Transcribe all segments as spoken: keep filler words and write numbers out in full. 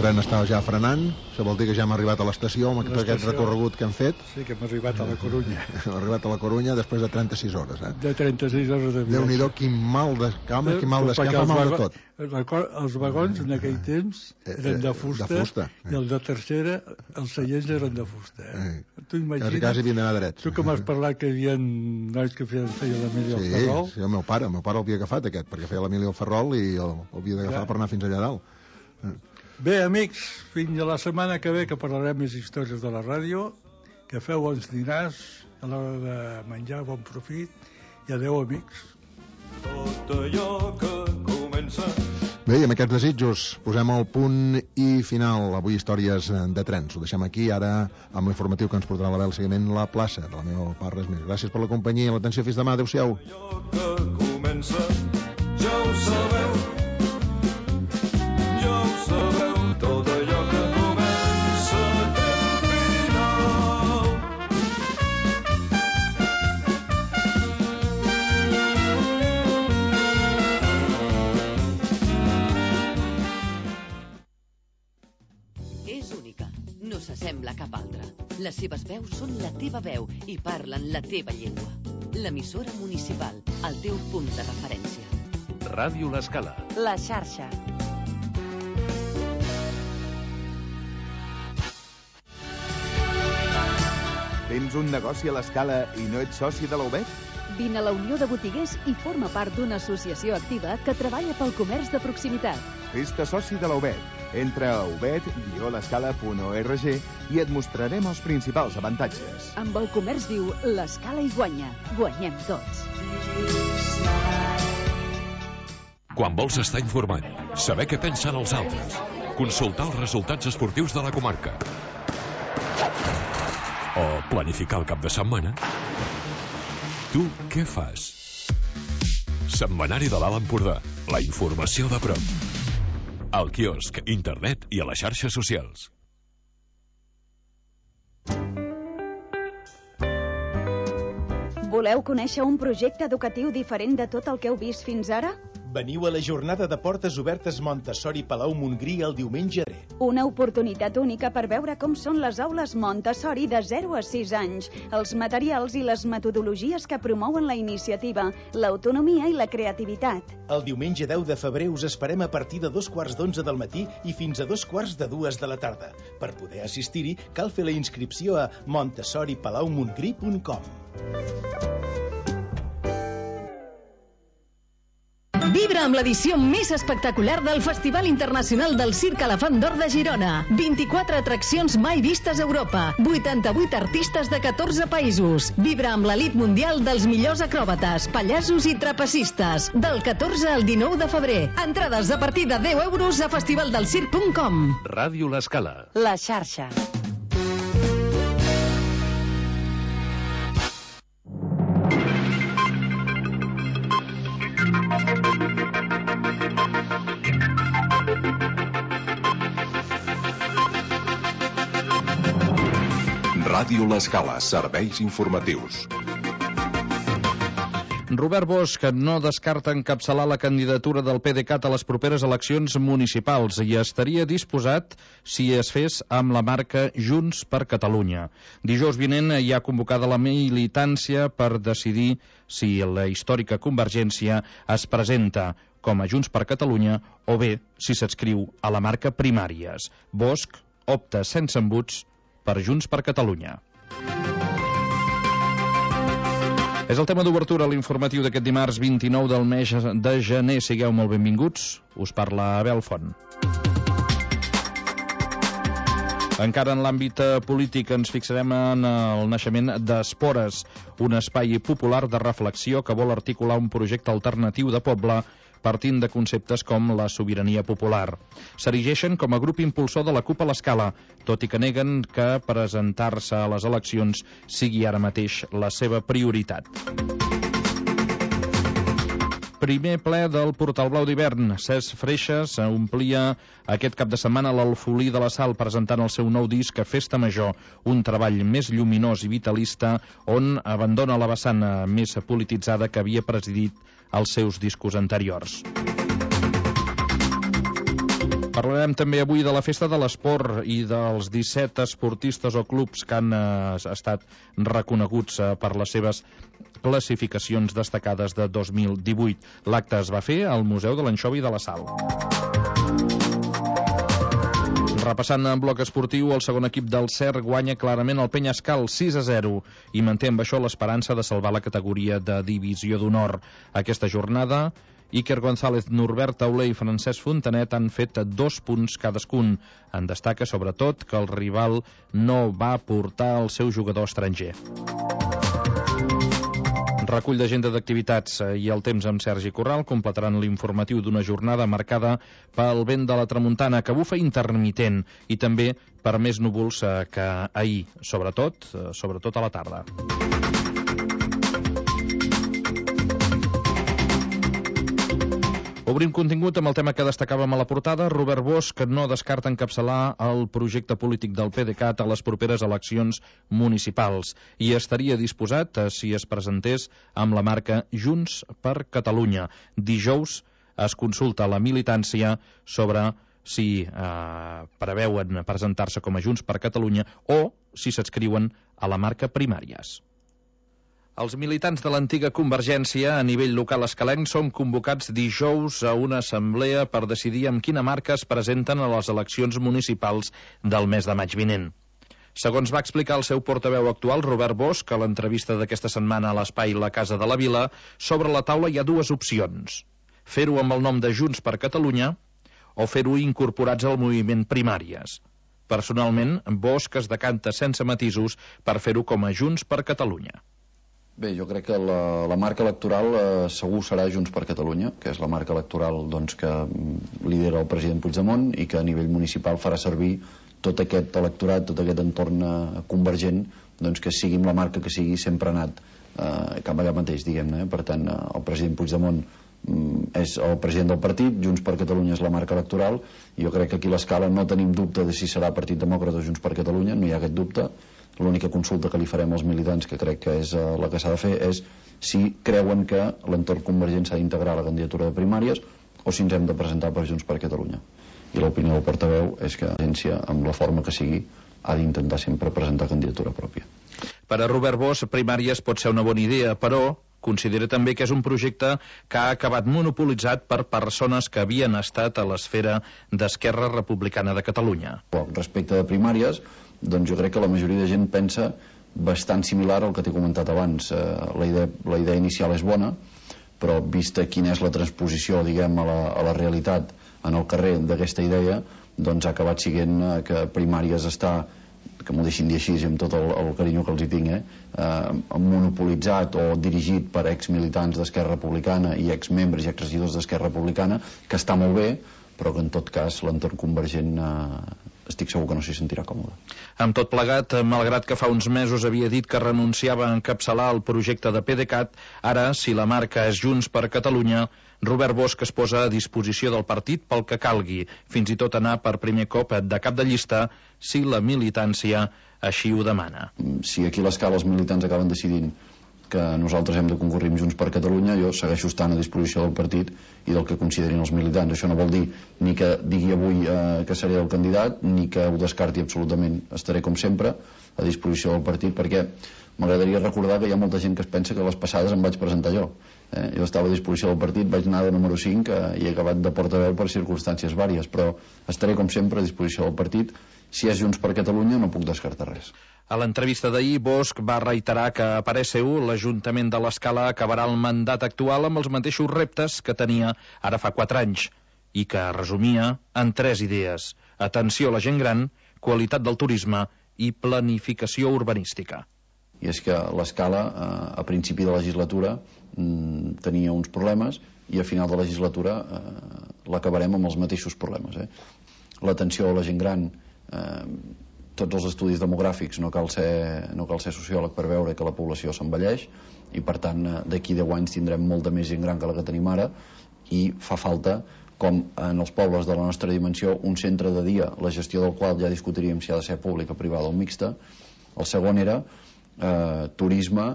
tren està ja frenant, això vol dir que ja hem arribat a l'estació amb aquest recorregut que hem fet. Sí, que hem arribat a la Corunya. Hem arribat a la Corunya després de trenta-sis hores, eh? De trenta-sis hores de viatge. Déu-n'hi-do, quin mal de cama, quin mal d'escama, mal de tot. Els vagons en aquell temps eren de fusta, de fusta eh. i el de tercera, els seients eren de fusta. Eh? Eh. Tu imagines... Quasi, quasi havien d'anar drets. Tu que m'has parlat que hi havia nois que feien, feien l'Emili sí, al Ferrol. Sí, el meu pare, el meu pare l'havia agafat aquest, perquè feia l'Emili al Ferrol i l'havia d'agafar per anar fins allà dalt. Eh. Bé, amics, fins a la setmana que ve, que parlarem més històries de la ràdio. Que feu bons dinars, a l'hora de menjar, bon profit, i adeu, amics. Tot allò que comença... Bé, i amb aquests desitjos posem el punt i final. Avui històries de trens. Ho deixem aquí, ara, amb l'informatiu que ens portarà l'Abel seguiment La Plaça, de la meva part, res més. Gràcies per la companyia i l'atenció. Fins demà. Adéu-siau. Allò que comença, ja ho sabeu. Ja ho sabeu. Tot allò que comença té un final. És única, no s'assembla a cap altra. Les seves veus són la teva veu i parlen la teva llengua. L'emissora municipal, el teu punt de referència. Ràdio L'Escala. La xarxa. Tens un negoci a l'Escala i no ets soci de la U B E T? Vine a la Unió de Botiguers i forma part d'una associació activa que treballa pel comerç de proximitat. Fes-te soci de la U B E T. Entra a u b e t guió l'escala punt org i et mostrarem els principals avantatges. Amb el comerç viu, l'Escala hi guanya. Guanyem tots. Quan vols estar informat, saber què pensen els altres, consultar els resultats esportius de la comarca o planificar el cap de setmana, tu què fas? Setmanari de l'Alt Empordà, la informació de prop. Al quiosc, internet i a les xarxes socials. Voleu conèixer un projecte educatiu diferent de tot el que heu vist fins ara? Veniu a la jornada de portes obertes Montessori Palau Montgrí el diumenge. Una oportunitat única per veure com són les aules Montessori de zero a sis anys, els materials i les metodologies que promouen la iniciativa, l'autonomia i la creativitat. El diumenge deu de febrer us esperem a partir de dos quarts d'onze del matí i fins a dos quarts de dues de la tarda. Per poder assistir-hi, cal fer la inscripció a montessori palau montgrí punt com. Vibra amb l'edició més espectacular del Festival Internacional del Circ Elefant d'Or de Girona. vint-i-quatre atraccions mai vistes a Europa. vuitanta-vuit artistes de catorze països. Vibra amb l'elit mundial dels millors acròbates, pallassos i trapecistes. Del catorze al dinou de febrer. Entrades a partir de deu euros a festivaldelcirc punt com. Ràdio L'Escala. La xarxa. Ràdio L'Escala, serveis informatius. Robert Bosch no descarta encapçalar la candidatura del PDeCAT a les properes eleccions municipals i estaria disposat si es fes amb la marca Junts per Catalunya. Dijous vinent hi ha convocada la militància per decidir si la històrica Convergència es presenta com a Junts per Catalunya o bé si s'adscriu a la marca Primàries. Bosch opta sense embuts per Junts per Catalunya. És el tema d'obertura a l'informatiu d'aquest dimarts vint-i-nou del mes de gener. Sigueu molt benvinguts. Us parla Abel Font. Encara en l'àmbit polític ens fixarem en el naixement d'Espores, un espai popular de reflexió que vol articular un projecte alternatiu de poble partint de conceptes com la sobirania popular. S'erigeixen com a grup impulsor de la CUP a l'Escala, tot i que neguen que presentar-se a les eleccions sigui ara mateix la seva prioritat. Primer ple del Portal Blau d'hivern. Cesc Freixas omplia aquest cap de setmana l'Alfolí de la Sal presentant el seu nou disc a Festa Major, un treball més lluminós i vitalista on abandona la vessant més polititzada que havia presidit els seus discos anteriors. Parlarem també avui de la Festa de l'Esport i dels disset esportistes o clubs que han eh, estat reconeguts eh, per les seves classificacions destacades de dos mil divuit. L'acte es va fer al Museu de l'Anxova i de la Sal. Repassant en bloc esportiu, el segon equip del Cer guanya clarament el Penyascal sis a zero i manté amb això l'esperança de salvar la categoria de divisió d'honor. Aquesta jornada, Iker González, Norbert Tauler i Francesc Fontanet han fet dos punts cadascun. En destaca sobretot que el rival no va portar el seu jugador estranger. Recull d'agenda d'activitats i el temps amb Sergi Corral completaran l'informatiu d'una jornada marcada pel vent de la tramuntana que bufa intermitent i també per més núvols que ahir, sobretot, sobretot a la tarda. Obrim contingut amb el tema que destacàvem a la portada. Robert Bosch no descarta encapçalar el projecte polític del PDeCAT a les properes eleccions municipals i estaria disposat si es presentés amb la marca Junts per Catalunya. Dijous es consulta la militància sobre si eh, preveuen presentar-se com a Junts per Catalunya o si s'adscriuen a la marca Primàries. Els militants de l'antiga Convergència a nivell local escalenc són convocats dijous a una assemblea per decidir amb quina marca es presenten a les eleccions municipals del mes de maig vinent. Segons va explicar el seu portaveu actual, Robert Bosch, a l'entrevista d'aquesta setmana a l'espai La Casa de la Vila, sobre la taula hi ha dues opcions. Fer-ho amb el nom de Junts per Catalunya o fer-ho incorporats al moviment Primàries. Personalment, Bosch es decanta sense matisos per fer-ho com a Junts per Catalunya. Bé, jo crec que la, la marca electoral eh, segur serà Junts per Catalunya, que és la marca electoral doncs, que lidera el president Puigdemont i que a nivell municipal farà servir tot aquest electorat, tot aquest entorn eh, convergent, doncs, que sigui la marca que sigui sempre ha anat eh, cap allà mateix, diguem-ne. Eh? Per tant, eh, el president Puigdemont mm, és el president del partit, Junts per Catalunya és la marca electoral, i jo crec que aquí a l'Escala no tenim dubte de si serà Partit Demòcrata o Junts per Catalunya, no hi ha aquest dubte. L'única consulta que li farem als militants, que crec que és uh, la que s'ha de fer, és si creuen que l'entorn convergent s'ha d'integrar a la candidatura de primàries o si ens hem de presentar per Junts per Catalunya. I l'opinió del portaveu és que l'agència, amb la forma que sigui, ha d'intentar sempre presentar candidatura pròpia. Per a Robert Bosch, primàries pot ser una bona idea, però considera també que és un projecte que ha acabat monopolitzat per persones que havien estat a l'esfera d'Esquerra Republicana de Catalunya. Respecte de primàries, doncs jo crec que la majoria de gent pensa bastant similar al que t'he comentat abans. Eh, la, idea, la idea inicial és bona, però vista quina és la transposició, diguem, a la, a la realitat en el carrer d'aquesta idea, doncs ha acabat siguent eh, que primàries està, que m'ho deixin dir així amb tot el, el carinyo que els hi tinc, eh, eh, monopolitzat o dirigit per exmilitants d'Esquerra Republicana i exmembres i exregidors d'Esquerra Republicana, que està molt bé, però que en tot cas l'entorn convergent eh, estic segur que no s'hi sentirà còmode. Amb tot plegat, malgrat que fa uns mesos havia dit que renunciava a encapçalar el projecte de PDeCAT, ara, si la marca és Junts per Catalunya, Robert Bosch es posa a disposició del partit pel que calgui, fins i tot anar per primer cop de cap de llista si la militància així ho demana. Si aquí a l'Escala els militants acaben decidint que nosaltres hem de concurrir amb Junts per Catalunya, jo segueixo estant a disposició del partit i del que considerin els militants. Això no vol dir ni que digui avui eh, que seré el candidat, ni que ho descarti absolutament. Estaré, com sempre, a disposició del partit, perquè m'agradaria recordar que hi ha molta gent que es pensa que les passades em vaig presentar jo. Eh? Jo estava a disposició del partit, vaig anar de número cinc eh, i he acabat de portaveu per circumstàncies vàries, però estaré, com sempre, a disposició del partit. Si és Junts per Catalunya, no puc descartar res. A l'entrevista d'ahir, Bosch va reiterar que, a parer seu, l'Ajuntament de l'Escala acabarà el mandat actual amb els mateixos reptes que tenia ara fa quatre anys i que resumia en tres idees: atenció a la gent gran, qualitat del turisme i planificació urbanística. I és que l'Escala, eh, a principi de legislatura, mm, tenia uns problemes i a final de legislatura eh, l'acabarem amb els mateixos problemes. Eh? L'atenció a la gent gran, eh, tots els estudis demogràfics, no cal ser, no cal ser sociòleg per veure que la població s'envelleix i per tant d'aquí deu anys tindrem molta més gent gran que la que tenim ara i fa falta, com en els pobles de la nostra dimensió, un centre de dia, la gestió del qual ja discutiríem si ha de ser pública, privada o mixta. El segon era eh, turisme,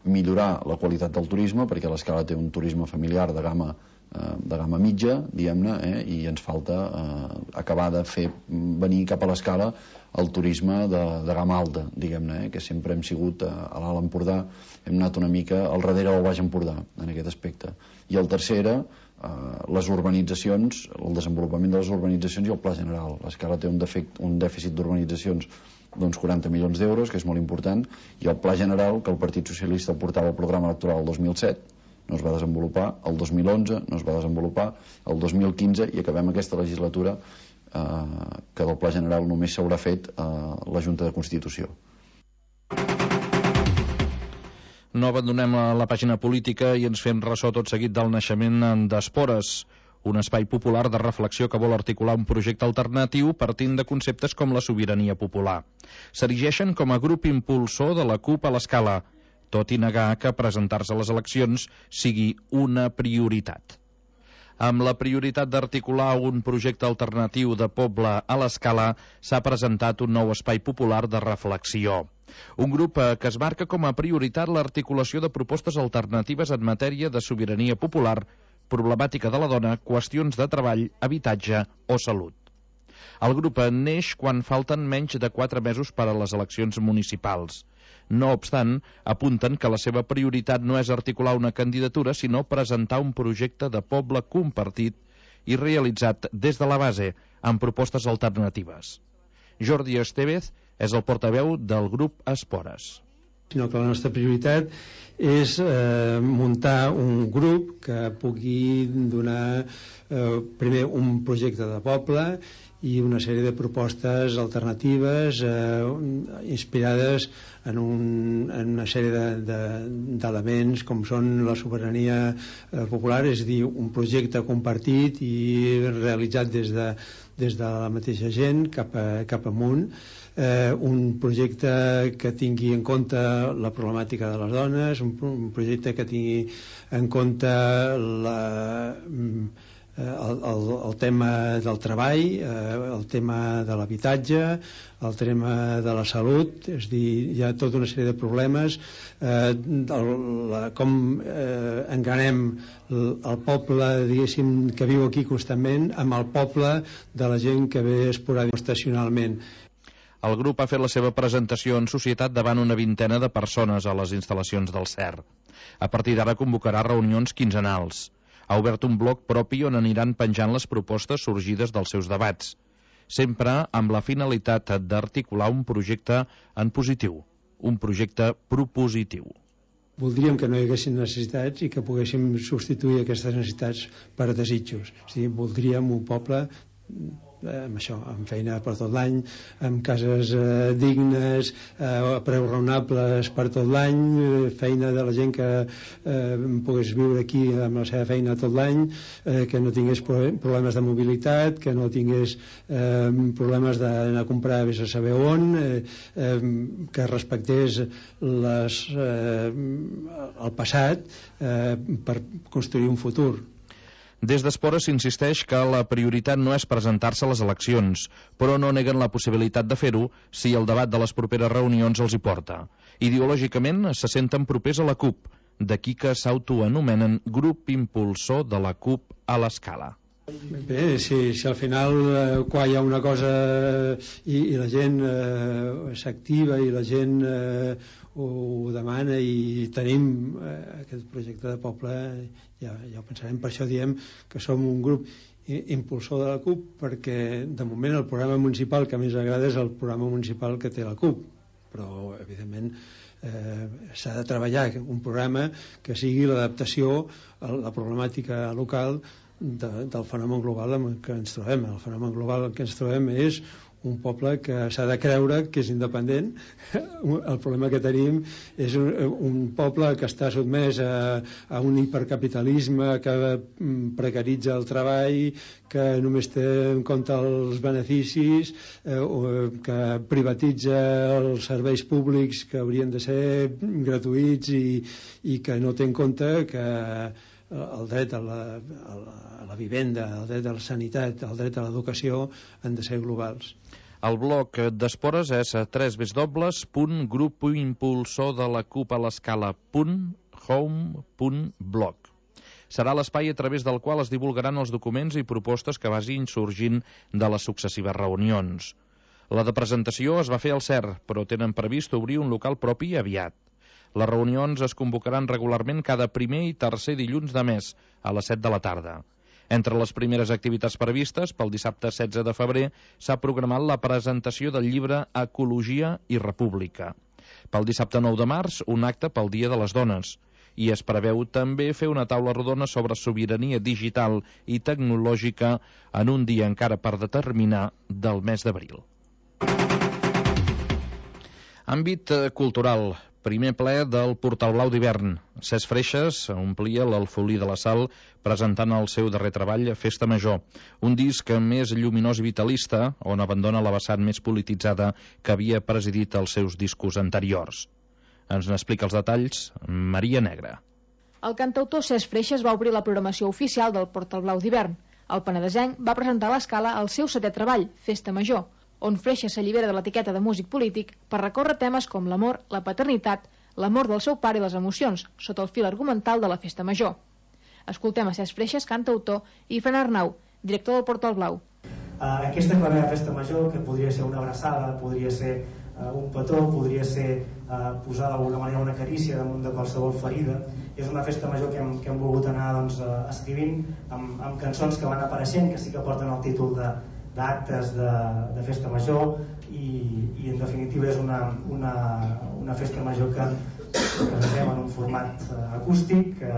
millorar la qualitat del turisme, perquè l'Escala té un turisme familiar de gamma de gamma mitja, diguem-ne, eh, i ens falta eh, acabar de fer venir cap a l'Escala el turisme de, de gamma alta, diguem-ne, eh, que sempre hem sigut a, a l'Alt Empordà, hem anat una mica al darrere del Baix Empordà en aquest aspecte. I el tercer era eh, les urbanitzacions, el desenvolupament de les urbanitzacions i el pla general. L'Escala té un, defect, un dèficit d'urbanitzacions d'uns quaranta milions d'euros, que és molt important, i el pla general que el Partit Socialista portava al programa electoral el dos mil set no es va desenvolupar, el dos mil onze no es va desenvolupar, el dos mil quinze, i acabem aquesta legislatura eh, que del pla general només s'haurà fet eh, la Junta de Constitució. No abandonem la pàgina política i ens fem ressò tot seguit del naixement d'Espores, un espai popular de reflexió que vol articular un projecte alternatiu partint de conceptes com la sobirania popular. S'erigeixen com a grup impulsor de la CUP a l'Escala, tot i negar que presentar-se a les eleccions sigui una prioritat. Amb la prioritat d'articular un projecte alternatiu de poble a l'Escala, s'ha presentat un nou espai popular de reflexió. Un grup que es marca com a prioritat l'articulació de propostes alternatives en matèria de sobirania popular, problemàtica de la dona, qüestions de treball, habitatge o salut. El grup neix quan falten menys de quatre mesos per a les eleccions municipals. No obstant, apunten que la seva prioritat no és articular una candidatura, sinó presentar un projecte de poble compartit i realitzat des de la base, amb propostes alternatives. Jordi Estevez és el portaveu del grup Espores. Sinó que la nostra prioritat és eh, muntar un grup que pugui donar eh, primer un projecte de poble i una sèrie de propostes alternatives eh, inspirades en, un, en una sèrie d'elements de, de, com són la sobirania eh, popular, és a dir, un projecte compartit i realitzat des de, des de la mateixa gent cap, a, cap amunt, eh, un projecte que tingui en compte la problemàtica de les dones, un, un projecte que tingui en compte la... El, el, el tema del treball, eh, el tema de l'habitatge, el tema de la salut, és dir, hi ha tota una sèrie de problemes, eh, el, la, com eh, enganem el, el poble, diguéssim, que viu aquí constantment, amb el poble de la gent que ve esporàdicament estacionalment. El grup ha fet la seva presentació en societat davant una vintena de persones a les instal·lacions del C E R. A partir d'ara convocarà reunions quinzenals. Ha obert un bloc propi on aniran penjant les propostes sorgides dels seus debats, sempre amb la finalitat d'articular un projecte en positiu, un projecte propositiu. Voldríem que no hi haguessin necessitats i que poguéssim substituir aquestes necessitats per desitjos. O sigui, voldríem un poble amb això, amb feina per tot l'any, amb cases eh, dignes, eh, a preus raonables per tot l'any, eh, feina de la gent que eh, pogués viure aquí amb la seva feina tot l'any, eh, que no tingués problemes de mobilitat, que no tingués eh, problemes d'anar a comprar vés a saber on, eh, eh, que respectés les, eh, el passat eh, per construir un futur. Des d'Espores s'insisteix que la prioritat no és presentar-se a les eleccions, però no neguen la possibilitat de fer-ho si el debat de les properes reunions els hi porta. Ideològicament se senten propers a la CUP, d'aquí que s'autoanomenen grup impulsor de la CUP a l'Escala. Bé, si, si al final eh, quan hi ha una cosa i, i la gent eh, s'activa i la gent eh, ho, ho demana i tenim eh, aquest projecte de poble, ja, ja ho pensarem. Per això diem que som un grup impulsor de la CUP, perquè de moment el programa municipal que més agrada és el programa municipal que té la CUP, però evidentment eh, s'ha de treballar un programa que sigui l'adaptació a la problemàtica local De, del fenomen global en què ens trobem. El fenomen global en què ens trobem és un poble que s'ha de creure que és independent. El problema que tenim és un, un poble que està sotmès a, a un hipercapitalisme que precaritza el treball, que només té en compte els beneficis, eh, que privatitza els serveis públics que haurien de ser gratuïts i, i que no té en compte que el dret a la, a, la, a la vivenda, el dret a la sanitat, el dret a l'educació han de ser globals. El bloc d'Espores és w w w punt grup impulsor de la CUP a l'Escala punt home punt blog. serà l'espai a través del qual es divulgaran els documents i propostes que vagin sorgint de les successives reunions. La de presentació es va fer al C E R, però tenen previst obrir un local propi aviat. Les reunions es convocaran regularment cada primer i tercer dilluns de mes, a les set de la tarda. Entre les primeres activitats previstes, pel dissabte setze de febrer, s'ha programat la presentació del llibre Ecologia i República. Pel dissabte nou de març, un acte pel Dia de les Dones. I es preveu també fer una taula rodona sobre sobirania digital i tecnològica en un dia encara per determinar del mes d'abril. Àmbit cultural. Primer ple del Portal Blau d'hivern. Cesc Freixas omplia l'Alfolí de la Sal presentant el seu darrer treball, Festa Major, un disc més lluminós i vitalista, on abandona la vessant més polititzada que havia presidit els seus discos anteriors. Ens n'explica els detalls Maria Negra. El cantautor Cesc Freixas va obrir la programació oficial del Portal Blau d'hivern. El penedesenc va presentar a l'Escala el seu setè treball, Festa Major, on Freixas s'allibera de l'etiqueta de músic polític per recórrer temes com l'amor, la paternitat, l'amor del seu pare i les emocions, sota el fil argumental de la Festa Major. Escoltem a Cesc Freixas, cantautor, i Fran Arnau, director del Portal Blau. Uh, aquesta clavera Festa Major, que podria ser una abraçada, podria ser uh, un petó, podria ser uh, posar d'alguna manera una carícia damunt de qualsevol ferida, és una festa major que hem, que hem volgut anar doncs, uh, escrivint amb, amb cançons que van apareixent, que sí que porten el títol de d'actes de, de festa major i, i en definitiva és una, una, una festa major que presentem en un format uh, acústic que,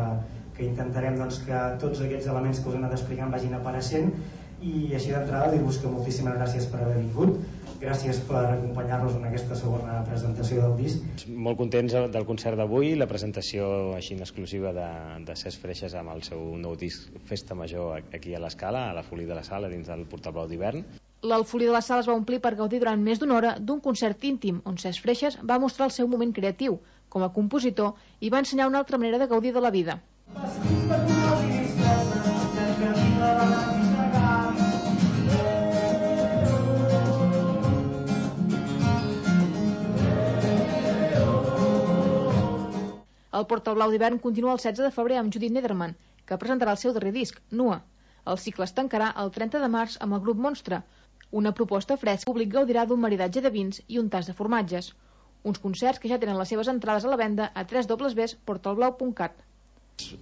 que intentarem doncs, que tots aquests elements que us he anat explicant vagin apareixent i així d'entrada dir-vos que moltíssimes gràcies per haver vingut, gràcies per acompanyar-nos en aquesta segona presentació del disc. Molt contents del concert d'avui, la presentació així en exclusiva de, de Cesc Freixas amb el seu nou disc Festa Major aquí a l'Escala, a l'Alfolí de la Sal, dins del Portal Blau d'hivern. L'Alfolí de la Sal es va omplir per gaudir durant més d'una hora d'un concert íntim on Cesc Freixas va mostrar el seu moment creatiu com a compositor i va ensenyar una altra manera de gaudir de la vida. El Portal Blau d'hivern continua el setze de febrer amb Judit Nederman, que presentarà el seu darrer disc, Nua. El cicle es tancarà el trenta de març amb el grup Monstre, una proposta fresca. El públic gaudirà d'un maridatge de vins i un tas de formatges. Uns concerts que ja tenen les seves entrades a la venda a w w w punt portal blau punt cat.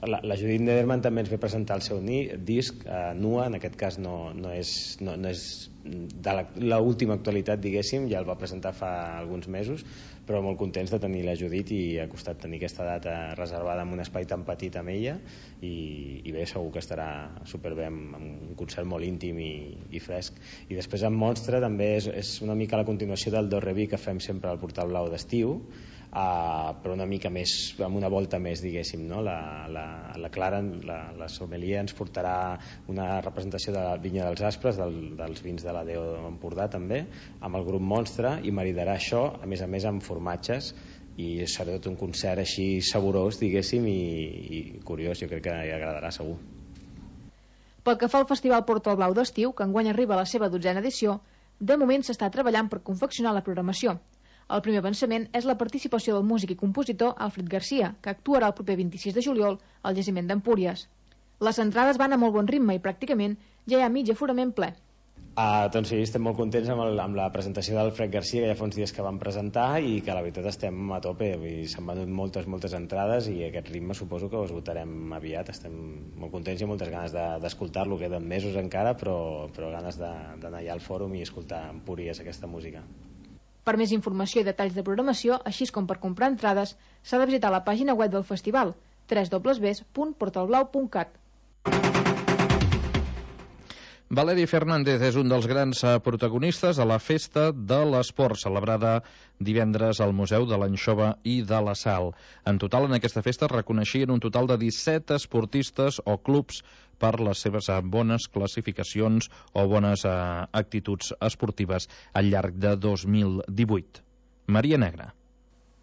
La, la Judit Nederman també ens ve presentar el seu ni, disc, eh, Nua, en aquest cas no, no és, no, no és de l'última actualitat, diguéssim, ja el va presentar fa alguns mesos, però molt contents de tenir la Judit i ha costat tenir aquesta data reservada en un espai tan petit amb ella i, i bé, segur que estarà superbé amb, amb un concert molt íntim i, i fresc. I després amb Monstre també és, és una mica la continuació del Do Reví que fem sempre al Portal Blau d'estiu, Uh, però una mica més, amb una volta més, diguéssim, no? La, la, la Clara, la, la sommelier, ens portarà una representació de la Vinya dels Aspres, del, dels vins de la Déu d'Empordà també, amb el grup Monstre, i maridarà això, a més a més, amb formatges, i serà tot un concert així saborós, diguéssim, i, i curiós, jo crec que hi agradarà segur. Pel que fa al Festival Portal Blau d'estiu, que enguany arriba a la seva dotzena edició, de moment s'està treballant per confeccionar la programació. El primer avançament és la participació del músic i compositor Alfred Garcia, que actuarà el proper vint-i-sis de juliol al Jaciment d'Empúries. Les entrades van a molt bon ritme i pràcticament ja hi ha mig aforament ple. Uh, doncs sí, estem molt contents amb, el, amb la presentació d'Alfred Garcia, que ja fa uns dies que vam presentar i que la veritat estem a tope, s'han venut moltes, moltes entrades i aquest ritme suposo que ho esgotarem aviat. Estem molt contents i moltes ganes d'escoltar-lo, de, queden mesos encara, però, però ganes d'anar allà al fòrum i escoltar Empúries aquesta música. Per més informació i detalls de programació, així com per comprar entrades, s'ha de visitar la pàgina web del festival, w w w punt portal blau punt cat. Valeri Fernández és un dels grans protagonistes a la Festa de l'Esport, celebrada divendres al Museu de l'Anxova i de la Sal. En total, en aquesta festa es reconeixien un total de disset esportistes o clubs per les seves bones classificacions o bones eh, actituds esportives al llarg de dos mil divuit. Maria Negra.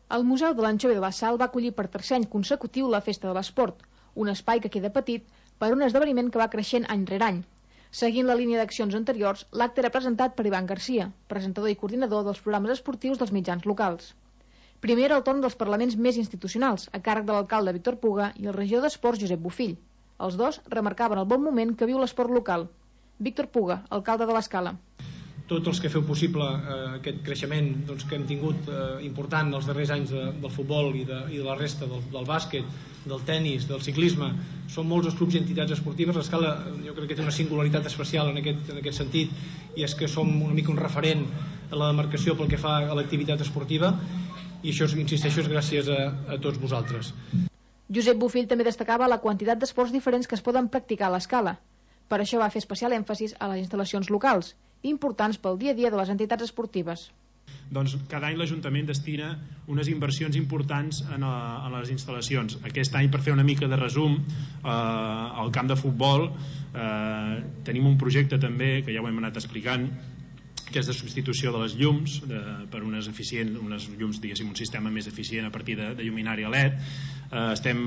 El Museu de l'Anxova i de la Sal va acollir per tercer any consecutiu la Festa de l'Esport, un espai que queda petit per un esdeveniment que va creixent any rere any. Seguint la línia d'accions anteriors, l'acte era presentat per Ivan Garcia, presentador i coordinador dels programes esportius dels mitjans locals. Primer era el torn dels parlaments més institucionals, a càrrec de l'alcalde Víctor Puga i el regidor d'Esports Josep Bofill. Els dos remarcaven el bon moment que viu l'esport local. Víctor Puga, alcalde de l'Escala. Tots els que feu possible eh, aquest creixement doncs, que hem tingut eh, important els darrers anys de, del futbol i de, i de la resta del, del bàsquet, del tennis, del ciclisme, són molts els clubs i entitats esportives. L'Escala jo crec que té una singularitat especial en aquest, en aquest sentit, i és que som una mica un referent a la demarcació pel que fa a l'activitat esportiva, i això, insisteixo, és gràcies a, a tots vosaltres. Josep Bofill també destacava la quantitat d'esports diferents que es poden practicar a l'Escala. Per això va fer especial èmfasis a les instal·lacions locals, importants pel dia a dia de les entitats esportives. Doncs cada any l'Ajuntament destina unes inversions importants en, a, en les instal·lacions. Aquest any, per fer una mica de resum, eh, al camp de futbol eh, tenim un projecte també, que ja ho hem anat explicant, que és de substitució de les llums de, per unes eficients, unes llums, diguéssim, un sistema més eficient a partir de, de lluminària L E D. Eh, estem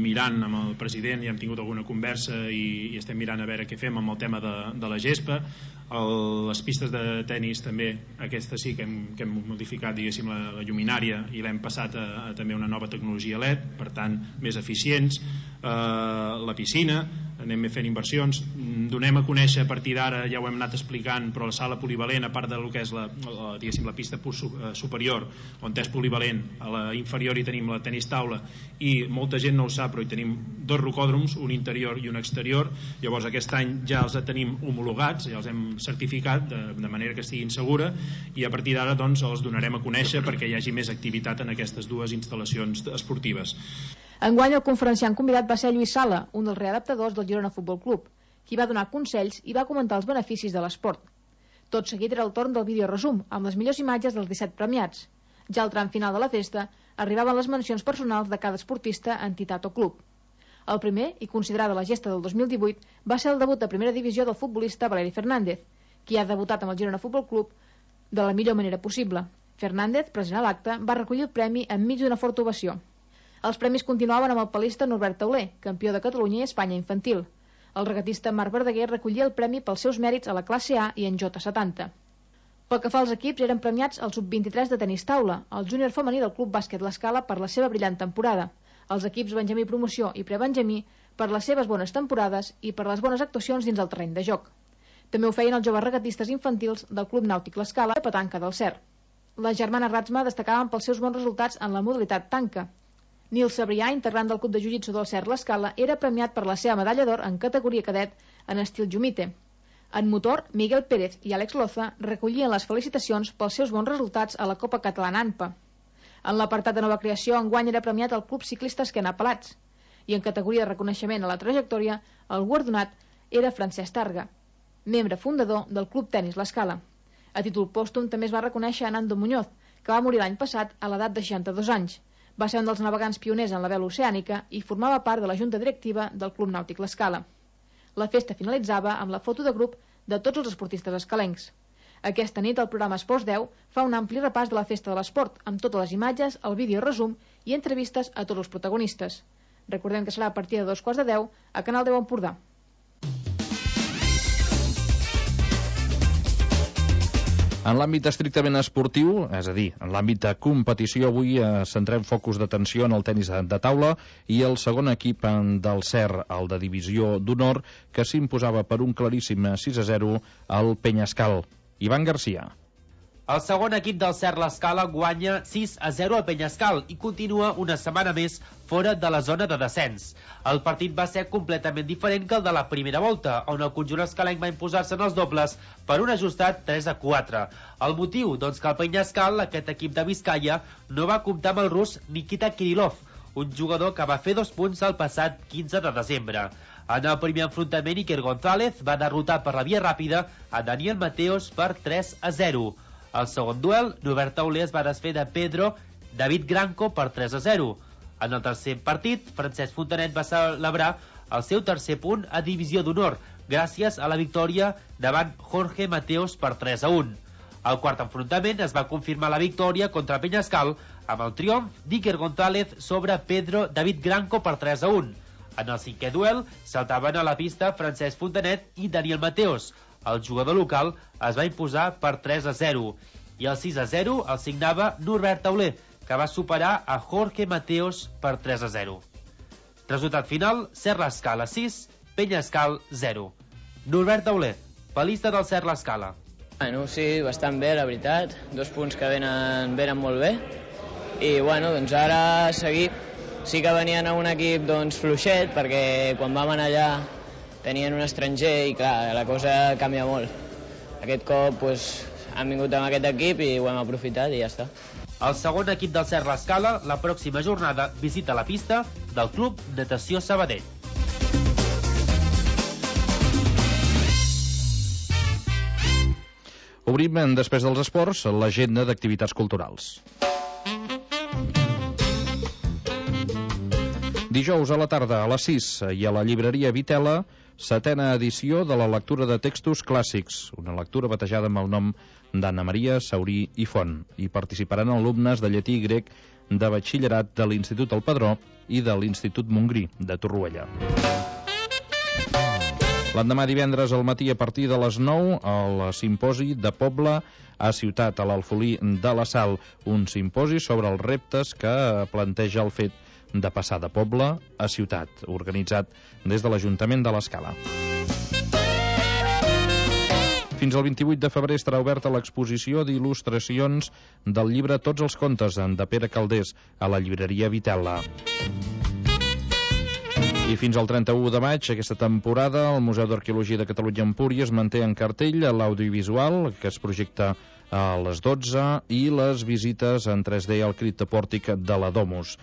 mirant amb el president, ja hem tingut alguna conversa i, i estem mirant a veure què fem amb el tema de, de la gespa. El, les pistes de tennis també, aquesta sí que hem, que hem modificat, diguéssim, la, la lluminària i l'hem passat a, a també una nova tecnologia L E D, per tant més eficients. Eh, la piscina, anem fent inversions, donem a conèixer a partir d'ara, ja ho hem anat explicant, però la sala polivalent, a part del que és la, la, diguéssim, la pista superior, on és polivalent, a la inferior hi tenim la tenis taula, i molta gent no ho sap, però hi tenim dos rocòdroms, un interior i un exterior. Llavors aquest any ja els tenim homologats, ja els hem certificat de, de manera que estiguin segura, i a partir d'ara doncs els donarem a conèixer perquè hi hagi més activitat en aquestes dues instal·lacions esportives. Enguany el conferenciant convidat va ser Lluís Sala, un dels readaptadors del Girona Futbol Club, qui va donar consells i va comentar els beneficis de l'esport. Tot seguit era el torn del videoresum, amb les millors imatges dels disset premiats. Ja al tram final de la festa arribaven les mencions personals de cada esportista, entitat o club. El primer, i considerada la gesta del dos mil divuit, va ser el debut de primera divisió del futbolista Valeri Fernández, qui ha debutat amb el Girona Futbol Club de la millor manera possible. Fernández, present a l'acte, va recollir el premi enmig d'una forta ovació. Els premis continuaven amb el palista Norbert Tauler, campió de Catalunya i Espanya infantil. El regatista Marc Verdaguer recollia el premi pels seus mèrits a la classe A i en J setanta. Pel que fa als equips, eren premiats el sub vint-i-tres de tenis taula, el júnior femení del Club Bàsquet L'Escala per la seva brillant temporada, els equips Benjamí Promoció i Prebenjamí per les seves bones temporades i per les bones actuacions dins el terreny de joc. També ho feien els joves regatistes infantils del Club Nàutic L'Escala de petanca del Cer. Les germanes Ratsma destacaven pels seus bons resultats en la modalitat tanca. Nil Sabrià, integrant del Club de Jiu-Jitsu del Cer L'Escala, era premiat per la seva medalla d'or en categoria cadet en estil Jumite. En motor, Miguel Pérez i Àlex Loza recollien les felicitacions pels seus bons resultats a la Copa Catalana ANPA. En l'apartat de nova creació, enguany era premiat el Club Ciclista Esquena Pelats, i en categoria de reconeixement a la trajectòria, el guardonat era Francesc Targa, membre fundador del Club Tenis L'Escala. A títol pòstum també es va reconèixer a Nando Muñoz, que va morir l'any passat a l'edat de seixanta-dos anys. Va ser un dels navegants pioners en la vela oceànica i formava part de la junta directiva del Club Nàutic L'Escala. La festa finalitzava amb la foto de grup de tots els esportistes escalencs. Aquesta nit el programa Esports deu fa un ampli repàs de la festa de l'esport, amb totes les imatges, el vídeo resum i entrevistes a tots els protagonistes. Recordem que serà a partir de dos quarts de deu a Canal deu Empordà. En l'àmbit estrictament esportiu, és a dir, en l'àmbit de competició, avui eh, centrem focus d'atenció en el tenis de taula i el segon equip del Cer, el de divisió d'honor, que s'imposava per un claríssim sis a zero al Penyascal. Ivan Garcia. El segon equip del Cer L'Escala guanya sis a zero al Penyascal i continua una setmana més fora de la zona de descens. El partit va ser completament diferent que el de la primera volta, on el conjunt escalenc va imposar-se en els dobles per un ajustat tres a quatre. El motiu? Doncs que el Penyascal, aquest equip de Vizcaya, no va comptar amb el rus Nikita Kirillov, un jugador que va fer dos punts el passat quinze de desembre. En el primer enfrontament, Iker González va derrotar per la via ràpida a Daniel Mateos per tres a zero. Al segon duel, Norbert Tauler es va desfer de Pedro David Granco per tres a zero. En el tercer partit, Francesc Fontanet va celebrar el seu tercer punt a divisió d'honor, gràcies a la victòria davant Jorge Mateos per tres a un. Al quart enfrontament es va confirmar la victòria contra Penyascal amb el triomf d'Iker González sobre Pedro David Granco per tres a un. En el cinquè duel saltaven a la pista Francesc Fontanet i Daniel Mateos. El jugador local es va imposar per tres a zero i el sis a zero el signava Norbert Tauler, que va superar a Jorge Mateos per tres a zero. Resultat final, Serra Escala sis, Penyascal zero. Norbert Tauler, palista del Serra Escala. Bueno, sí, bastant bé, la veritat. Dos punts que venen, venen molt bé. I, bueno, doncs ara seguir. Sí que venien a un equip doncs, fluixet, perquè quan vam anar allà tenien un estranger i, clar, la cosa canvia molt. Aquest cop doncs, han vingut amb aquest equip i ho hem aprofitat i ja està. El segon equip del Serra Escala, la pròxima jornada, visita la pista del Club Natació Sabadell. Obrim, després dels esports, l'agenda d'activitats culturals. Dijous a la tarda, a les sis, i a la llibreria Vitela, setena edició de la lectura de textos clàssics, una lectura batejada amb el nom d'Anna Maria Saurí i Font. Hi participaran alumnes de llatí i grec de batxillerat de l'Institut El Padró i de l'Institut Montgrí, de Torroella. L'endemà divendres al matí a partir de les nou, al simposi de Poble a Ciutat, a l'Alfolí de la Sal, un simposi sobre els reptes que planteja el fet de passar de poble a ciutat, organitzat des de l'Ajuntament de l'Escala. Fins al vint-i-vuit de febrer estarà oberta l'exposició d'il·lustracions del llibre Tots els contes, de Pere Calders, a la llibreria Vitela. I fins al trenta-u de maig, aquesta temporada, el Museu d'Arqueologia de Catalunya Empúries manté en cartell l'audiovisual, que es projecta a les dotze, i les visites en tres D al criptopòrtic de la Domus.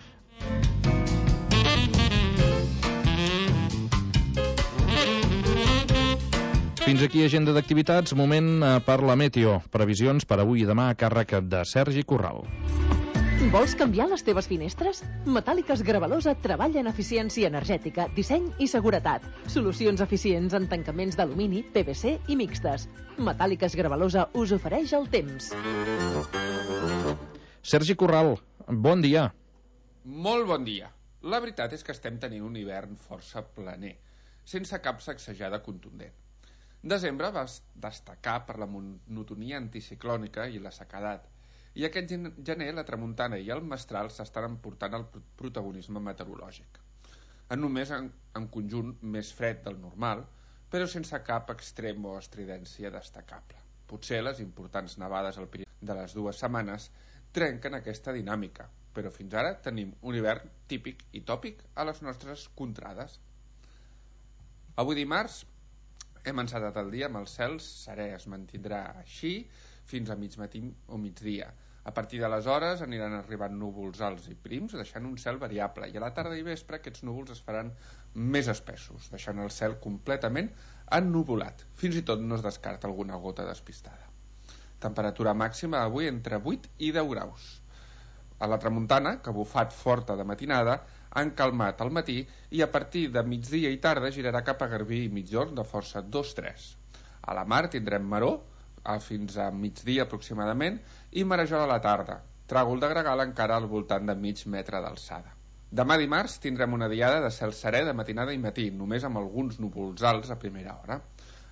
Fins aquí agenda d'activitats, moment per la Meteo. Previsions per avui i demà a càrrec de Sergi Corral. Vols canviar les teves finestres? Metàl·liques Gravalosa treballa en eficiència energètica, disseny i seguretat. Solucions eficients en tancaments d'alumini, P V C i mixtes. Metàl·liques Gravalosa us ofereix el temps. Sergi Corral, bon dia. Molt bon dia. La veritat és que estem tenint un hivern força planer, sense cap sacsejada contundent. Desembre va destacar per la monotonia anticiclònica i la sequedat, i aquest gener la tramuntana i el mestral s'estan emportant el protagonisme meteorològic. En només en, en conjunt més fred del normal, però sense cap extrem o estridència destacable. Potser les importants nevades al Pirineu de les dues setmanes trenquen aquesta dinàmica, però fins ara tenim un hivern típic i tòpic a les nostres contrades. Avui dimarts hem encetat el dia amb el cel serè, es mantindrà així fins a mig matí o migdia. A partir d'aleshores aniran arribant núvols alts i prims, deixant un cel variable, i a la tarda i vespre aquests núvols es faran més espessos, deixant el cel completament ennuvolat. Fins i tot no es descarta alguna gota despistada. Temperatura màxima avui entre vuit i deu graus. A la tramuntana, que ha bufat forta de matinada, han calmat al matí i a partir de migdia i tarda girarà cap a Garbí i Migjorn de força dos tres. A la mar tindrem maror, a fins a migdia aproximadament, i marejol a la tarda, tràgol de gregal encara al voltant de mig metre d'alçada. Demà dimarts tindrem una diada de cel serè de matinada i matí, només amb alguns núvols alts a primera hora.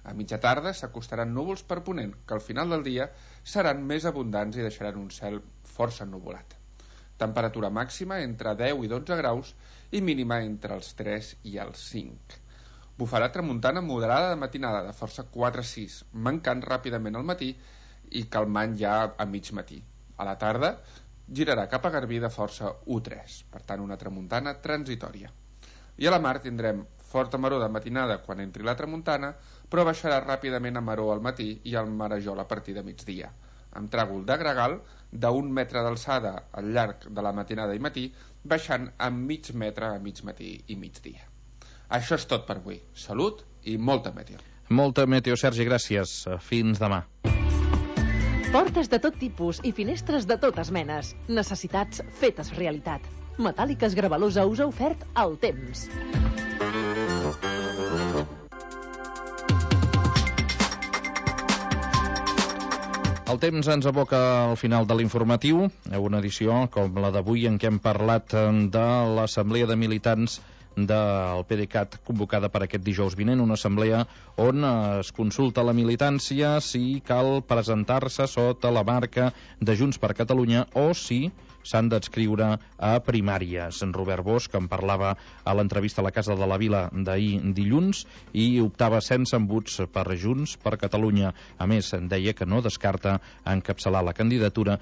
A mitja tarda s'acostaran núvols per ponent, que al final del dia seran més abundants i deixaran un cel força ennuvolat. Temperatura màxima entre deu i dotze graus i mínima entre els tres i els cinc. Bufarà tramuntana moderada de matinada de força quatre a sis, mancant ràpidament al matí i calmant ja a mig matí. A la tarda girarà cap a Garbí de força u tres, per tant una tramuntana transitòria. I a la mar tindrem forta maror de matinada quan entri la tramuntana, però baixarà ràpidament a maror al matí i al marejol a partir de migdia, amb tràgol de gregal d'un metre d'alçada al llarg de la matinada i matí, baixant a mig metre a mig matí i migdia. Això és tot per avui. Salut i molta meteo. Molta meteo, Sergi, gràcies. Fins demà. Portes de tot tipus i finestres de totes menes. Necessitats fetes realitat. Metàl·liques Gravalosa us ha ofert el temps. El temps ens aboca al final de l'informatiu, una edició com la d'avui en què hem parlat de l'Assemblea de Militants del PDeCAT convocada per aquest dijous vinent, una assemblea on es consulta la militància si cal presentar-se sota la marca de Junts per Catalunya o si s'han d'adscriure a primàries. En Robert Bosch en parlava a l'entrevista a la Casa de la Vila d'ahir dilluns i optava sense embuts per Junts per Catalunya. A més, deia que no descarta encapçalar la candidatura